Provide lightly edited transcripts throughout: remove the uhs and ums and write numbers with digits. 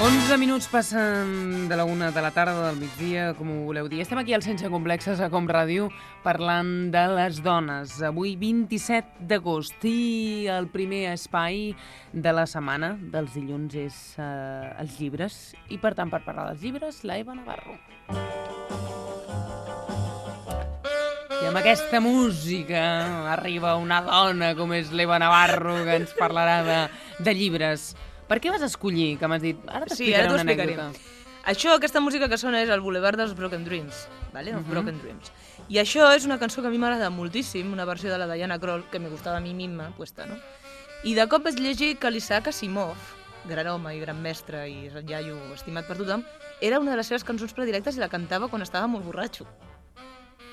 11 minuts passen de la 1 de la tarda del migdia, com ho voleu dir. Estem aquí al Sense Complexes, a Com Ràdio, parlant de les dones. Avui, 27 d'agost, i el primer espai de la setmana dels dilluns és els llibres. I, per tant, per parlar dels llibres, la Eva Navarro. I amb aquesta música arriba una dona com és l'Eva Navarro, que ens parlarà de llibres. Per què vas escollir, que m'has dit? Ara t'explicaré una anècdota. Això, aquesta música que sona és el Boulevard dels Broken Dreams, vale? Broken Dreams. I això és una cançó que a mi m'agrada moltíssim, una versió de la Diana Krall, que me gustava a mi misma, puesta, no? I de cop vaig llegir que l'Isaac Asimov, gran home i gran mestre i iaio estimat per tothom, era una de les seves cançons predilectes i la cantava quan estava molt borratxo.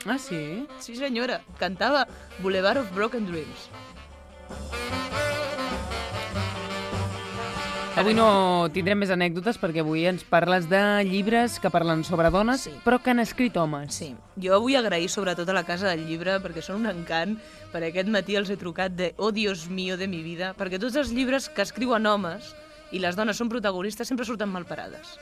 Ah, sí? Sí, senyora, cantava Boulevard of Broken Dreams. Avui no tindrem més anècdotes perquè avui ens parles de llibres que parlen sobre dones, sí, però que han escrit homes. Sí, jo vull agrair sobretot a la Casa del Llibre perquè són un encant, per aquest matí els he trucat de "Oh Dios mío de mi vida", perquè tots els llibres que escriuen homes i les dones són protagonistes sempre surten malparades.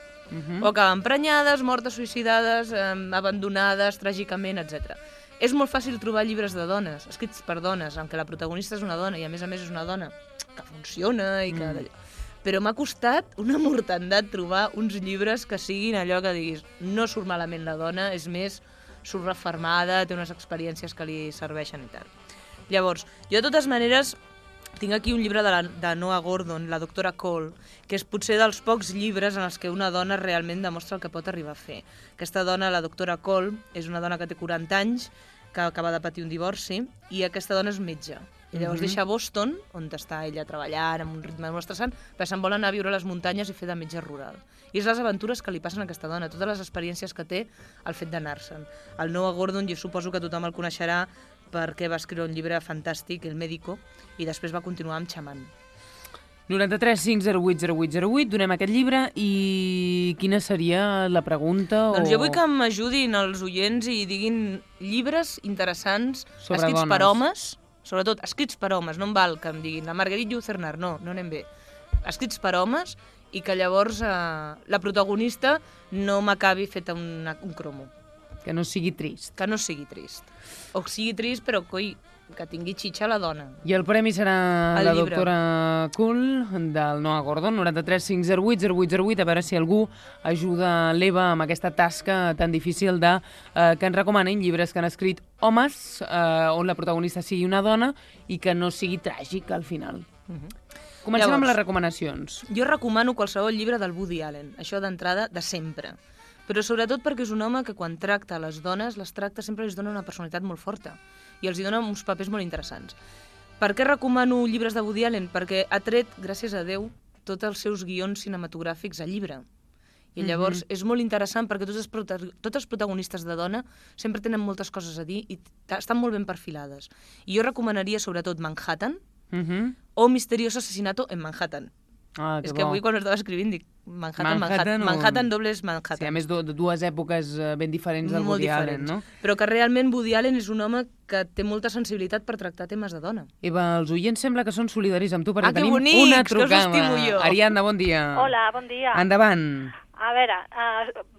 O acaben prenyades, mortes, suïcidades, abandonades, tràgicament, etc. És molt fàcil trobar llibres de dones, escrits per dones, en què la protagonista és una dona i a més és una dona que funciona i que... Però m'ha costat una mortandat trobar uns llibres que siguin allò que diguis no surt malament la dona, és més, surt reformada, té unes experiències que li serveixen i tal. Llavors, jo de totes maneres tinc aquí un llibre de Noah Gordon, La doctora Cole, que és potser dels pocs llibres en els que una dona realment demostra el que pot arribar a fer. Aquesta dona, la doctora Cole, és una dona que té 40 anys, que acaba de patir un divorci, i aquesta dona és metge. I llavors deixa Boston, on està ella treballant amb un ritme molt estressant, perquè se'n vol anar a viure a les muntanyes i fer de metge rural. I és les aventures que li passen a aquesta dona, totes les experiències que té al fet d'anar-se'n. El Noah Gordon, jo suposo que tothom el coneixerà perquè va escriure un llibre fantàstic, El Médico, i després va continuar amb Xamant. 93 508 0808, donem aquest llibre i quina seria la pregunta? Doncs jo vull que m'ajudin els oients i diguin llibres interessants sobre escrits dones. per homes, sobretot escrits per homes, no em val que em diguin la Marguerite Yourcenar, no anem bé. Escrits per homes i que llavors la protagonista no m'acabi feta un cromo. Que no sigui trist. Que no sigui trist. O sigui trist, però coi, que tingui xitxa la dona. I el premi serà la doctora Cool del Noah Gordon, 93 508 0808, a veure si algú ajuda l'Eva amb aquesta tasca tan difícil de que ens recomanin llibres que han escrit homes, on la protagonista sigui una dona i que no sigui tràgic al final. Comencem amb les recomanacions. Jo recomano qualsevol llibre del Woody Allen, això d'entrada de sempre. Però sobretot perquè és un home que quan tracta les dones, les tracta sempre les dona una personalitat molt forta i els dona uns papers molt interessants. Per què recomano llibres de Woody Allen? Perquè ha tret, gràcies a Déu, tots els seus guions cinematogràfics a llibre. I llavors és molt interessant perquè tots els protagonistes de dona sempre tenen moltes coses a dir i estan molt ben perfilades. I jo recomanaria sobretot Manhattan o Misterioso asesinato en Manhattan. És que avui quan ho estava escrivint dic Manhattan dobles Manhattan. Sí, a més de dues èpoques ben diferents del Woody Allen, no? Però que realment Woody Allen és un home que té molta sensibilitat per tractar temes de dona. Eva, els oients sembla que són solidaris amb tu perquè tenim bonics, una trucada. que us estimo jo. Ariadna, bon dia. Hola, bon dia. Endavant. A veure,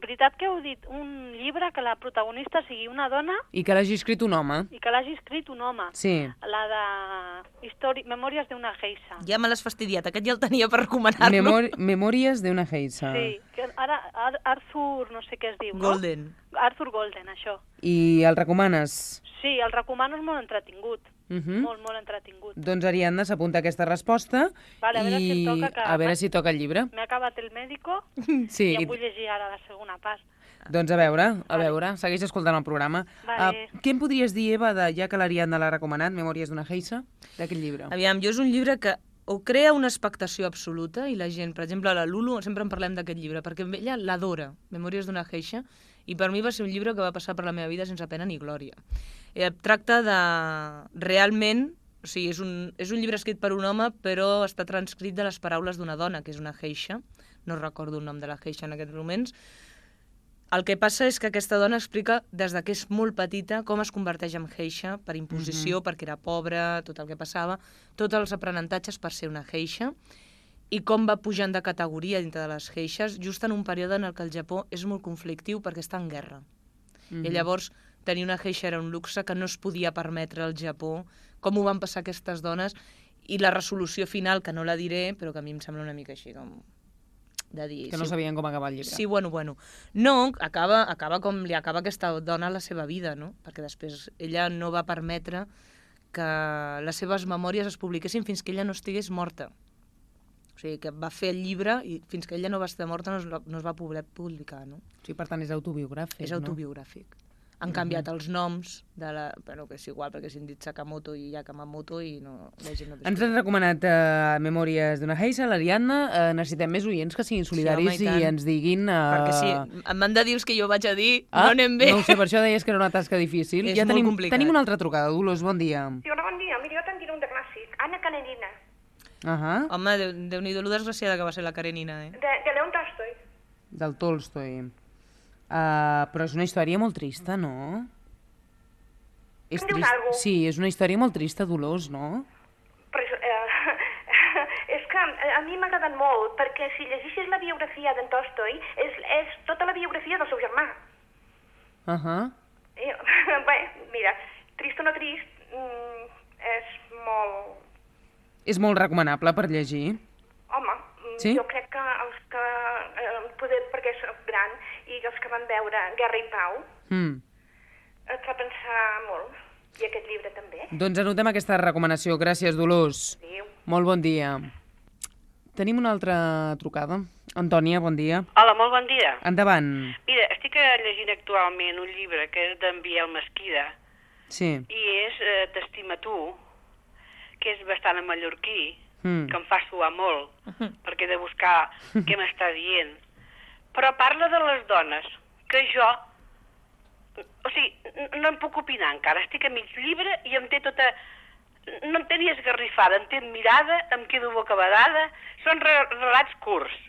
veritat que heu dit un llibre que la protagonista sigui una dona... I que l'hagi escrit un home. I que l'hagi escrit un home. Sí. La de Memòries d'una geisha. Ja me l'has fastidiat, aquest ja el tenia per recomanar-lo. Memòries d'una geisha. Sí, que ara Arthur, no sé què es diu, no? Golden. Arthur Golden, això. I el recomanes? Sí, el recomano, és molt entretingut. Molt entretingut. Doncs Ariadna s'apunta aquesta resposta i a veure si toca el llibre. M'he acabat El Médico i em vull llegir ara la segona part. Doncs a veure, segueix escoltant el programa. Què em podries dir, Eva, ja que l'Ariadna l'ha recomanat, Memòries d'una geisha, d'aquest llibre? Aviam, jo és un llibre que o crea una expectació absoluta i la gent, per exemple, la Lulu, sempre en parlem d'aquest llibre, perquè ella l'adora, Memòries d'una geisha, i per mi va ser un llibre que va passar per la meva vida sense pena ni glòria. Tracta de... realment... O sigui, és un llibre escrit per un home, però està transcrit de les paraules d'una dona, que és una geisha. No recordo el nom de la geisha en aquests moments. El que passa és que aquesta dona explica, des que és molt petita, com es converteix en geisha per imposició, perquè era pobra, tot el que passava, tots els aprenentatges per ser una geisha. i com va pujant de categoria dintre de les geishas, just en un període en el que el Japó és molt conflictiu perquè està en guerra. I llavors tenir una geisha era un luxe que no es podia permetre al Japó, com ho van passar aquestes dones, i la resolució final, que no la diré, però que a mi em sembla una mica així com de dir... Que no sabien com acabar el llibre. Sí, bueno. No, acaba com li acaba aquesta dona la seva vida, no? Perquè després ella no va permetre que les seves memòries es publiquessin fins que ella no estigués morta. O sigui, que va fer el llibre i fins que ella no va estar morta no es va poder publicar, no? Sí, per tant, és autobiogràfic, És autobiogràfic. Han canviat els noms de la... Bueno, que és igual, perquè s'han dit Sakamoto i Yakamoto i no... Ens han recomanat Memòries d'una geisha, l'Ariadna. Necessitem més oients que siguin solidaris i ens diguin... Perquè si em van de dir que jo vaig a dir, no anem bé. No ho sé, per això deies que era una tasca difícil. És molt complicat. Tenim una altra trucada. Dolors, bon dia. Sí, hola, bon dia. Mira, jo te'n diré un de clàssic. Anna Karenina. Home, Déu-n'hi-do, lo desgraciada que va ser la Karenina, eh? De León Tolstoi. Del Tolstoi. Però és una història molt trista, no? Em dius alguna cosa? Sí, és una història molt trista, Dolors, no? Però, és que a mi m'ha agradat molt, perquè si llegeixes la biografia d'en Tolstoi, és tota la biografia del seu germà. Bé, mira, trist o no trist, és molt... És molt recomanable per llegir. Home, sí? Jo crec que els que, poder perquè soc gran, i els que van veure Guerra i Pau, et fa pensar molt. I aquest llibre també. Doncs anotem aquesta recomanació. Gràcies, Dolors. Adéu. Molt bon dia. Tenim una altra trucada. Antònia, bon dia. Hola, molt bon dia. Endavant. Mira, estic llegint actualment un llibre que és d'en Biel Mesquida. Sí. I és T'estima tu, que és bastant en mallorquí, que em fa suar molt, perquè he de buscar què m'està dient. Però parla de les dones, que jo... O sigui, no em puc opinar encara. Estic a mig llibre i em té tota... No em té ni esgarrifada, em té admirada, em quedo bocabadada. Són relats curts,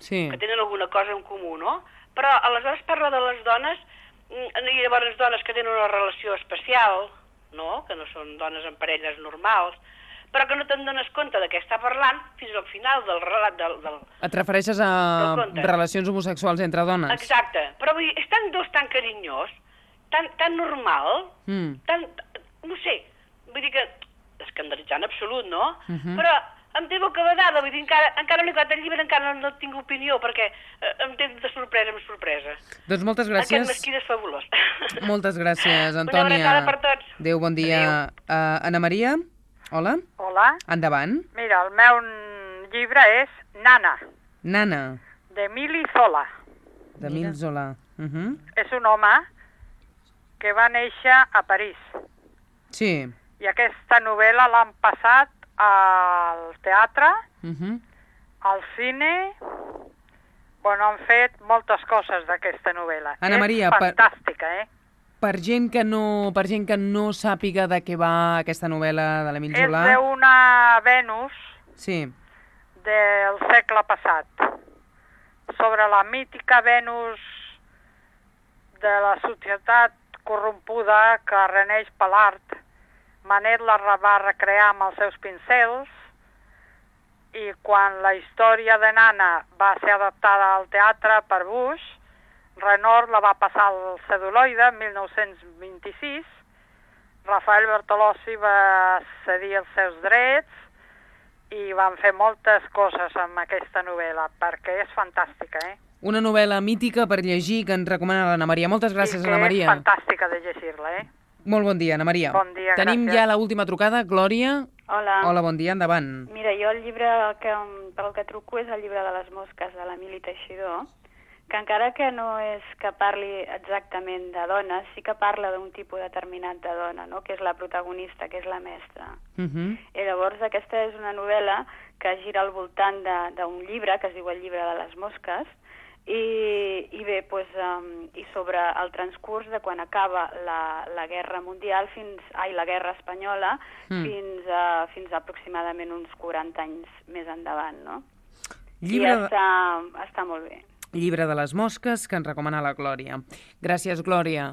que tenen alguna cosa en comú, no? Però aleshores parla de les dones, i llavors dones que tenen una relació especial, no? Que no són dones en parelles normals, però que no te'n dones compte de què està parlant fins al final del relat del... Et refereixes a relacions homosexuals entre dones? Exacte, però vull dir, és tan dolç, tan carinyós, tan normal, tan... no sé, vull dir que escandalitzant absolut, no? Però em té bocabadada, vull dir, encara no he acabat el llibre, encara no tinc opinió, perquè em té de sorpresa en sorpresa. Doncs moltes gràcies. Aquest Mesquida és fabulós. Moltes gràcies, Antònia. Una abraçada per tots. Adéu, bon dia. Ana Maria? Hola? Hola. Endavant. Mira, el meu llibre és Nana. Nana. D'Emili Zola. D'Emili Zola. És un home que va néixer a París. Sí. I aquesta novel·la l'han passat al teatre, al cine... Bueno, han fet moltes coses d'aquesta novel·la. Ana Maria, és fantàstica, Per gent que no sàpiga de què va aquesta novel·la de l'Emili Zola... És d'una Venus del segle passat, sobre la mítica Venus de la societat corrompuda que reneix per l'art. Manet la va recrear amb els seus pincels i quan la història de Nana va ser adaptada al teatre per Bush, Renoir la va passar al celuloide en 1926, Rafael Bertolozzi va cedir els seus drets i van fer moltes coses amb aquesta novel·la, perquè és fantàstica, Una novel·la mítica per llegir que ens recomana l'Anna Maria. Moltes gràcies, Anna Maria. I que és fantàstica de llegir-la, Molt bon dia, Anna Maria. Bon dia, Tenim ja l'última trucada. Glòria. Hola. Hola, bon dia, endavant. Mira, jo el llibre per el que truco és el llibre de les mosques, de l'Emili Teixidor, que encara que no és que parli exactament de dones, sí que parla d'un tipus determinat de dona, no? Que és la protagonista, que és la mestra. I llavors aquesta és una novel·la que gira al voltant d'un llibre, que es diu El llibre de les mosques, i bé, pues, i sobre el transcurs de quan acaba la Guerra Mundial, la Guerra Espanyola, fins a aproximadament uns 40 anys més endavant, no? I està molt bé. Llibre de les mosques, que ens recomana la Glòria. Gràcies, Glòria.